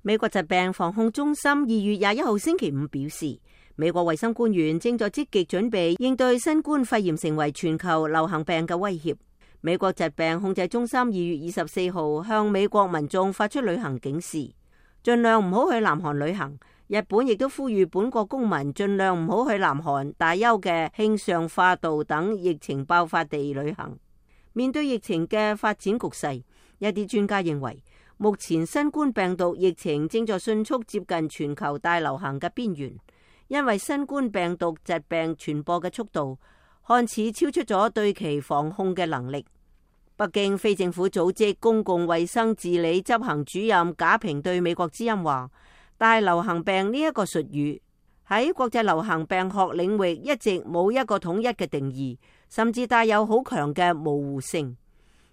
美國疾病防控中心2月21號星期五表示，美國衛生官員正在積極準備應對新冠肺炎成為全球流行病嘅威脅。美國疾病控制中心2月24號向美國民眾發出旅行警示，盡量唔好去南韓旅行。日本亦都呼籲本國公民盡量唔好去南韓、大邱嘅慶尚化道等疫情爆發地旅行。面對疫情嘅發展局勢，一啲專家認為，目前新冠病毒疫情正在迅速接近全球大流行嘅邊緣，因為新冠病毒疾病傳播嘅速度看似超出咗對其防控嘅能力。北京非政府組織公共衛生治理執行主任賈平對美國之音話，大流行病呢一個術語喺國際流行病學領域一直冇一個統一嘅定義，甚至帶有好強嘅模糊性。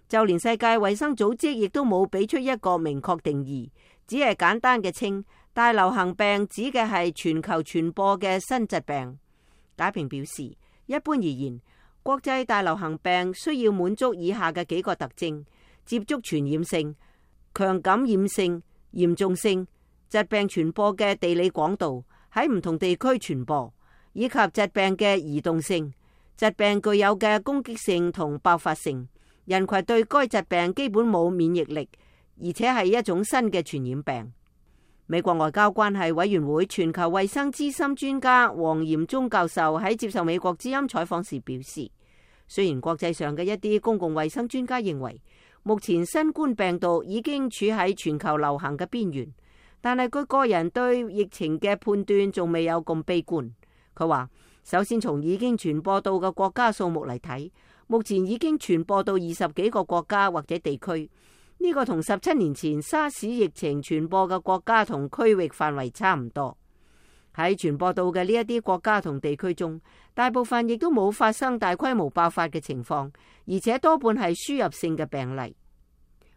就連世界衛生組織亦都冇俾出一個明確定義，只係簡單嘅稱大流行病指嘅係全球傳播嘅新疾病。賈平表示，一般而言，國際大流行病需要滿足以下嘅幾個特徵：接觸傳染性、強感染性、嚴重性、疾病傳播嘅地理廣度、喺唔同地區傳播，以及疾病嘅移動性。疾病具有嘅攻擊性同爆發性。人群對該疾病基本冇免疫力，而且係一種新嘅傳染病。美國外交關係委員會全球衛生資深專家黃嚴忠教授喺接受美國之音採訪時表示，雖然國際上嘅一啲公共衛生專家認為目前新冠病毒已經處喺全球流行嘅邊緣，但係佢個人對疫情嘅判斷仲未有咁悲觀。佢話，首先從已經傳播到嘅國家數目嚟睇，目前已經傳播到20幾個國家或者地區，呢個同17年前沙士疫情傳播嘅國家同區域範圍差唔多。喺傳播到嘅呢一啲國家同地區中，大部分亦都冇發生大規模爆發嘅情況，而且多半係輸入性嘅病例。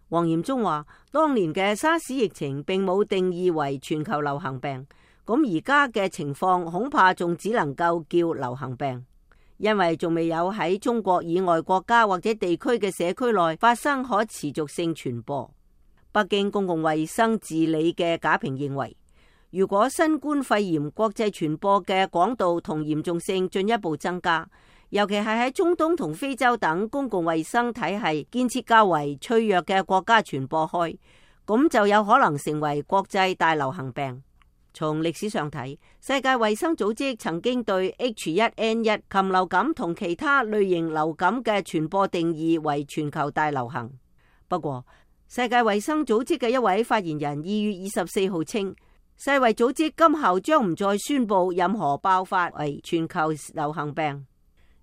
黃嚴忠話，當年嘅沙士疫情並冇定義為全球流行病，咁而家嘅情況恐怕仲只能夠叫流行病。因為仲未有喺中國以外國家或者地區嘅社區內發生可持續性傳播。北京公共衛生治理嘅賈平認為，如果新冠肺炎國際傳播嘅廣度同嚴重性進一步增加，尤其係喺中東同非洲等公共衛生體系建設較為脆弱嘅國家傳播開，咁就有可能成為國際大流行病。從歷史上睇，世界衛生組織曾經對 H1N1 禽流感同其他類型流感嘅傳播定義為全球大流行。不過，世界衛生組織嘅一位發言人2月24號稱，世衛組織今後將唔再宣布任何爆發為全球流行病。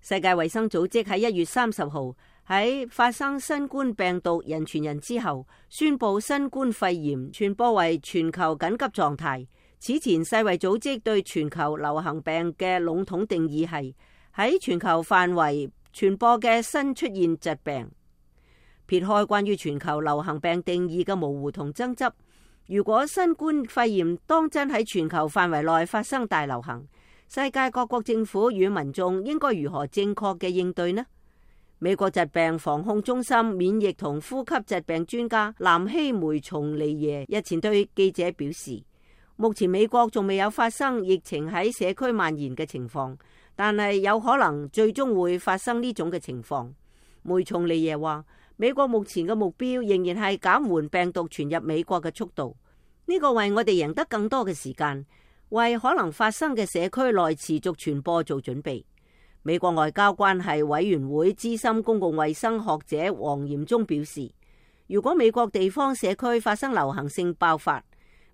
世界衛生組織喺1月30號喺發生新冠病毒人傳人之後，宣布新冠肺炎傳播為全球緊急狀態。此前世衛組織對全球流行病嘅籠統定義係喺全球範圍傳播嘅新出現疾病。撇開關於全球流行病定義嘅模糊同爭執，如果新冠肺炎當真喺全球範圍內發生大流行，世界各國政府與民眾應該如何正確嘅應對呢？美國疾病防控中心免疫同呼吸疾病專家南希梅松利耶日前對記者表示，目前美國仲未有發生疫情喺社區蔓延嘅情況，但係有可能最終會發生呢種嘅情況。梅松利耶話，美國目前嘅目標仍然係減緩病毒傳入美國嘅速度，呢個為我哋贏得更多嘅時間，為可能發生嘅社區內持續傳播做準備。美國外交關係委員會資深公共衛生學者黃嚴忠表示，如果美國地方社區發生流行性爆發，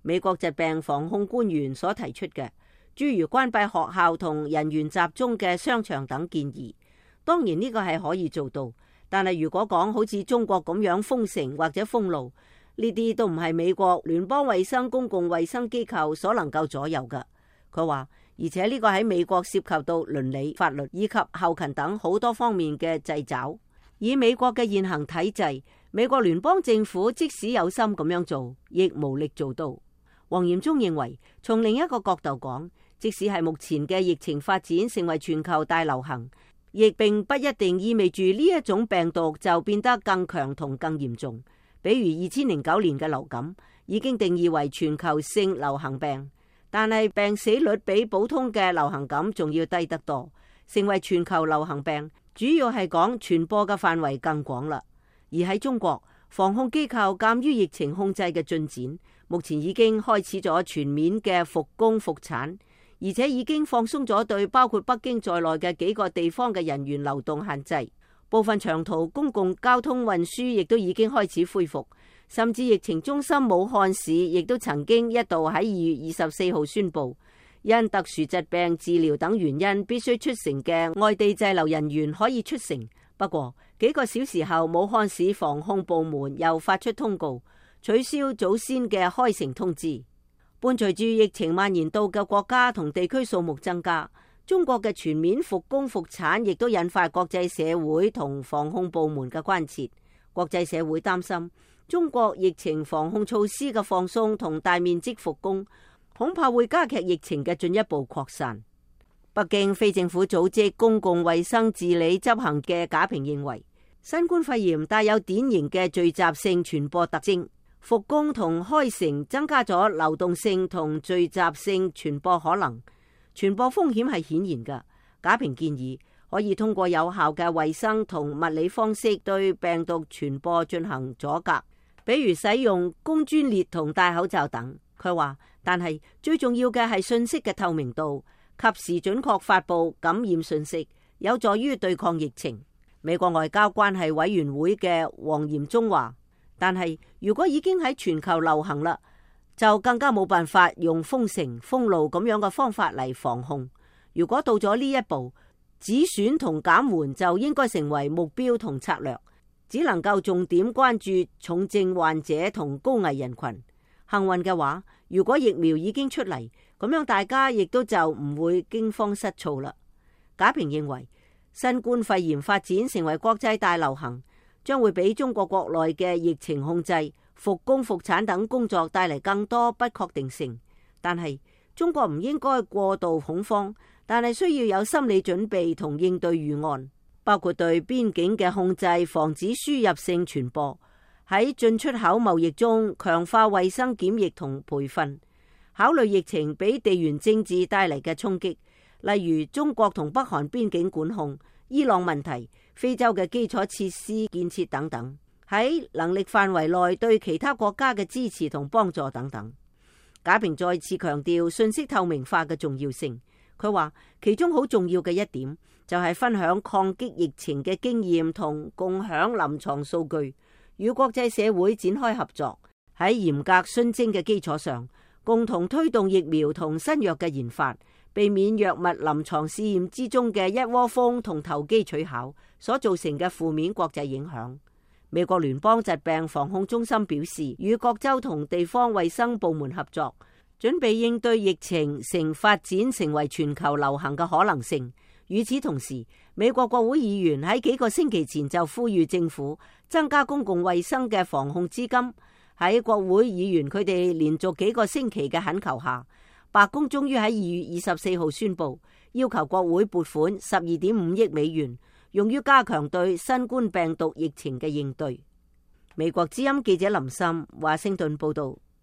美國疾病防控官員所提出嘅，諸如關閉學校同人員集中嘅商場等建議，當然呢個係可以做到。但係如果講好似中國咁樣封城或者封路，呢啲都唔係美國聯邦衛生公共衛生機構所能夠左右嘅。佢話，而且呢個喺美國涉及到倫理、法律以及後勤等好多方面嘅掣肘。以美國嘅現行體制，美國聯邦政府即使有心咁樣做，亦無力做到。黃嚴忠認為，從另一個角度講，即使係目前嘅疫情發展成為全球大流行，亦並不一定意味住呢一種病毒就變得更強同更嚴重。比如2009年嘅流感，已經定義為全球性流行病，但係病死率比普通嘅流行感仲要低得多。成為全球流行病，主要係講傳播嘅範圍更廣啦。而喺中國，防控機構鑑於疫情控制嘅進展，目前已經開始咗全面嘅復工復產，而且已經放鬆咗對包括北京在內嘅幾個地方嘅人員流動限制。部分長途公共交通運輸亦都已經開始恢復，甚至疫情中心武漢市亦都曾經一度喺2月24號宣布，因特殊疾病治療等原因必須出城嘅外地滯留人員可以出城。不過幾個小時後，武漢市防控部門又發出通告，取消早先嘅開城通知。伴隨住疫情蔓延到嘅國家同地區數目增加，中國嘅全面復工復產亦都引發國際社會同防控部門嘅關切。國際社會擔心中國疫情防控措施嘅放鬆同大面積復工，恐怕會加劇疫情嘅進一步擴散。北京非政府組織公共衛生治理執行嘅賈平認為，新冠肺炎帶有典型嘅聚集性傳播特徵，復工同開城增加咗流動性同聚集性傳播可能。傳播風險係顯然嘅。賈平建議可以通過有效嘅衛生同物理方式對病毒傳播進行阻隔，比如使用工專列同戴口罩等。佢話，但係最重要嘅係信息嘅透明度，及時準確發布感染信息，有助於對抗疫情。美國外交關係委員會嘅黃嚴忠話，但係如果已經喺全球流行啦，就更加冇辦法用封城封路咁樣嘅方法嚟防控。如果到咗呢一步，止損同減緩就應該成為目標同策略，只能夠重點關注重症患者同高危人群。幸運嘅話，如果疫苗已經出嚟，咁樣大家亦都就唔會驚慌失措啦。賈平認為，新冠肺炎發展成為國際大流行，將會俾中國國內嘅疫情控制、復工復產等工作帶嚟更多不確定性。但係中國唔應該過度恐慌，但係需要有心理準備同應對預案，包括對邊境嘅控制，防止輸入性傳播；喺進出口貿易中強化衛生檢疫同培訓；考慮疫情俾地緣政治帶嚟嘅衝擊，例如中國同北韓邊境管控、伊朗問題、非洲嘅基礎設施建設等等；喺能力範圍內對其他國家嘅支持同幫助等等。賈平再次強調信息透明化嘅重要性。佢話其中好重要嘅一點就係分享抗擊疫情嘅經驗同共享臨床數據，與國際社會展開合作，喺嚴格循證嘅基礎上，共同推動疫苗同新藥嘅研發，避免藥物臨床試驗之中嘅一窩蜂同投機取巧所造成嘅負面國際影響。美國聯邦疾病防控中心表示，與各州同地方衛生部門合作，準備應對疫情發展成為全球流行嘅可能性。與此同時，美國國會議員喺幾個星期前就呼籲政府增加公共衛生嘅防控資金。喺國會議員佢哋連續幾個星期嘅懇求下，白宮終於喺2月24號宣布，要求國會撥款12.5億美元，用於加強對新冠病毒疫情嘅應對。美國之音記者林森華盛頓報道。